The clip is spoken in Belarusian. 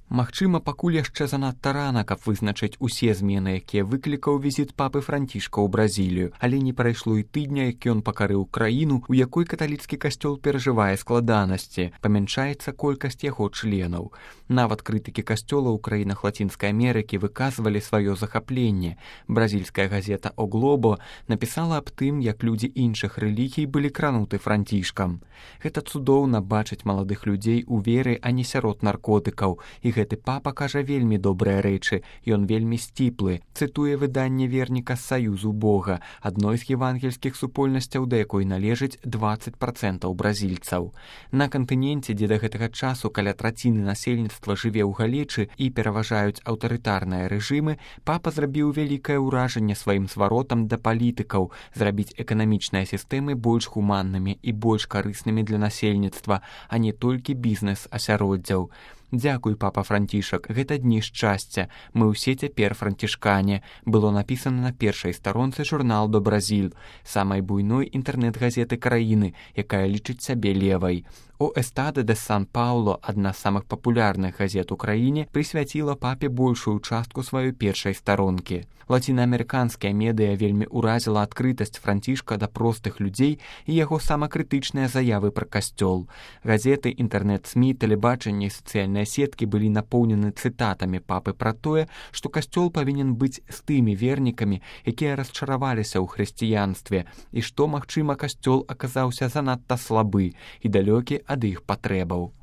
Магчыма, пакуль яшчэ занадта рана, каб вызначыць усе змены, якія выклікаў візіт папы Францішка ў Бразілію, але не прайшло і тыдня, як ён пакарыў краіну, у якой каталіцкі касцёл перажывае складанасці, памяншаецца колькасць яго членаў. Нават крытыкі касцёла ў краінах Лацінскай Амерыкі выказвалі сваё захапленне. Бразільская газета «О Глобо» напісала аб тым, як людзі іншых рэлігій былі крануты Францішкам. Гэта цудоўна бачыць маладых людзей у веры, а не сярод наркотыкаў, і гэты папа кажа вельмі добрыя рэчы, ён вельмі сціплы, цытуе выданне верніка з Саюзу Бога, адной з евангельскіх супольнасцяў, да якой належыць 20% бразільцаў. На кантыненце, дзе да гэтага часу каля траціны насельніцтва жыве ў галечы і пераважаюць аўтарытарныя рэжымы, папа зрабіў вялікае ўражанне сваім зваротам да палітыкаў, зрабіць эканамічныя сістэмы больш гуманнымі і больш карыснымі для насельніцтва, а не толькі бізнес-асяроддзяў. Дзякуй, папа Францішак, гэта дні шчасця. Мы ўсе цяпер францішкане. Было напісана на першай старонцы журнал «До Бразіль», самай буйной інтэрнэт-газеты краіны, якая лічыць сябе левай. «О Эстаде де Сан-Пауло», адна з самых папулярных газет у краіне, прысвяціла папе большую частку сваёй першай старонкі. Лацінаамерыканская медыя вельмі ўразіла адкрытасць Францішка да простых людзей і яго самакрытычныя заявы пра касцёл. Газеты, інтэрнэт-СМІ, тэлебачанне і сацыяльныя сеткі былі напоўнены цытатамі папы пра тое, што касцёл павінен быць з тымі вернікамі, якія расчараваліся ў хрысціянстве, і што, магчыма, касцёл аказаўся занадта слабы і далёкі ад іх патрэбаў.